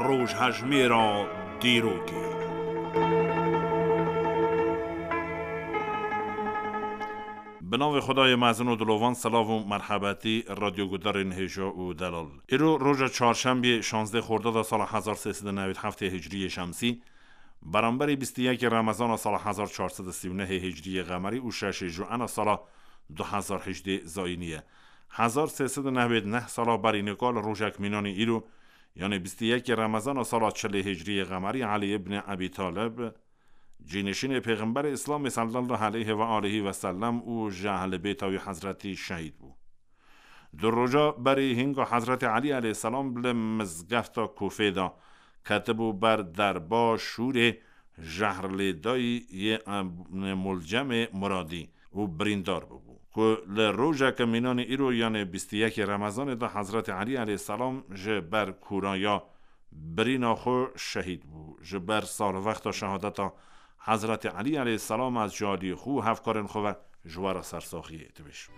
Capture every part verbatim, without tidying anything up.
Rojhejmêra dîrokê. Bi navê Xwedayê mezin û dilovan, silav û merhebetî radyogudarên hêja û delal. Îro roja çarşembiyê şazdeh Xordada sala hezar sê sed û newî heftê Hicriyê Şemsî, beramberî bîst û yekê Remezana sala hezar çar sed û sî û nehê Hicriyê Qemerî û şeşê Juena sala du hezar hejdê Zayînî ye. Hezar sê sed û newî neh sala berî nika li rojek mînanî îro, yanê bîst û yekê Remezana sala çilê Hicriyê Qemerî Elî ibn Ebî Talib, cînişînê Pêxemberê Îslamê sallallahu aleyhi ve aleyhi ve sellem û ji ehlê bêta wî hezretî şehîd bû. Du roja berî hînga Hezretî Elî aleyhisselam li mizgefta Kûfê de ketibû ber derba şûrê jehrlêdayî yê, em, Muljemê Muradî û birîndar bûbû. Ku li rojeke mînanê îro, yanê bîst û yekê Remezanê de Hezretî Elî aleyhisselam ji ber kûraya birîna xwe şehîd bû. Ji ber salvexta şehadeta Hezretî Elî aleyhisselam ez ji aliyê xwe û hevkarên xwe ve ji we re sersaxiyê dibêjim.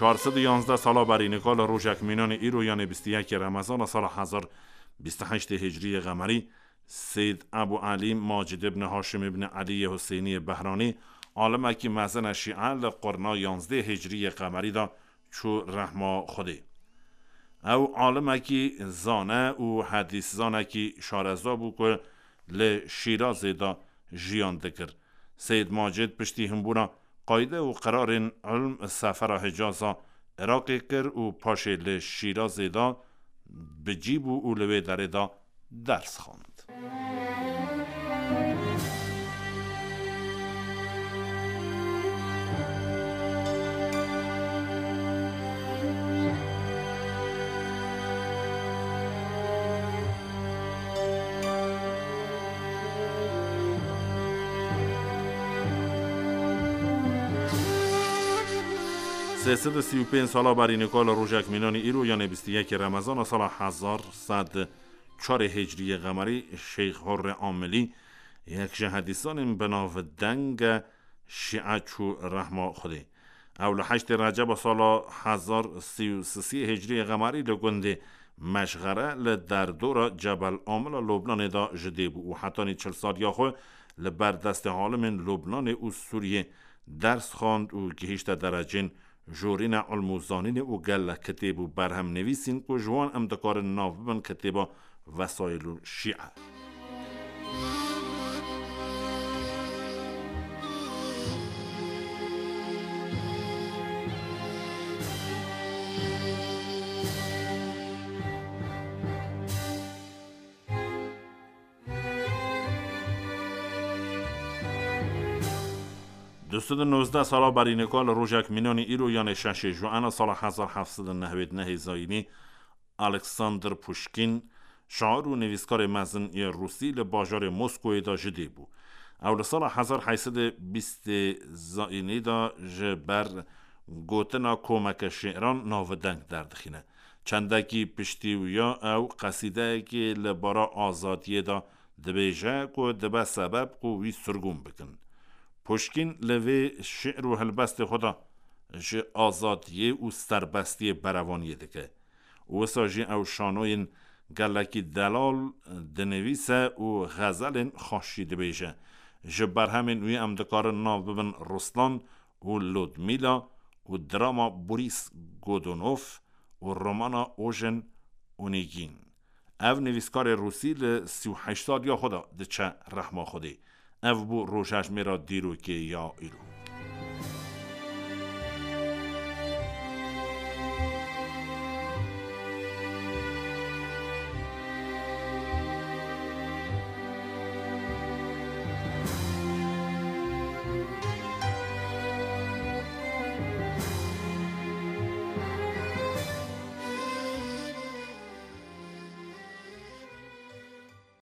Çar sed û yanzdeh sala berî nika li rojek mînanê îro, yanê bîst û yekê Remezana sala hezar bîst û heştê Hicriyê Qemerî, Seyd Ebû Elî Macid ibn Haşim ibn Elîyê Huseyniyê Behranî, alimekî mezin e şîe, li qurna yanzdeh Hicriyê Qemerî de çû rehma Xwedê. Ew alimekî zane û hedîszanekî şareza bû ku li Şîrazê de jiyan dikir. Seyd Macid piştî hinbûna qayde û qerarên ilm sefera Hicaza Iraqê kir û paşê li Şîrazê de bi cî bû û li wê derê de ders xwend. Sê sed û sî û pênc sala berî nika li rojek mînanî îro, yanê bîst û yekê Remezana sala hezar sed çarê Hicriyê Qemerî, Şeyx Hurrê Amilî, yek ji hedîsanên bi navdeng e, şîe çû rehma Xwedê. Ew li heştê Receba sala hezar sî û sisê Hicriyê Qemerî li gundê Meşxere li derdora Cebel Amila Lubnanê de ji dê bû û hetanî çil saliya xwe li ber destê alimên Lubnanê û Sûriyê ders xwend û gihîşte derecên jorîne ilm û zanînê û gelek kitêb û berhem nivîsîn ku ji wan em dikarin nav bibin kitêba Vesayilul Şîe. Du sed û nozdeh sala berî nika li rojek mînanî îro, yanê şeşê Juena sala hezar heft sed û newêd nehê Zayînî, Alexander Puşkîn, şair û nivîskarê mezin yê Rûsî, li bajarê Moskoyê de ji dê bû. Ew li sala hezar heyt sed û bîstê Zayînî de ji ber gotina komeke şîiran navdeng derdixîne. Çendekî piştî wîya ew qesîdeyekê li bara azadiyê de dibêje ku dibe sebeb ku wî sirgûn bikin. Puşkîn li vê şi'r û helbestê xwe de ji azadiyê û serbestiyê berevaniyê dike. Wisa jî ew şanoyên gelekî delal dinivîse û xezelên xweş jî dibêje. Ji berhemên wî em dikarin nav bibin Ruslan û Ludmîla û drama Boris Godunov û romana Ojen Onegin. Ev nivîskarê Rûsî li sî û heşt saliya xwe de diçe rehma Xwedê. Ev bû rojhejmêra dîrokê ya îro.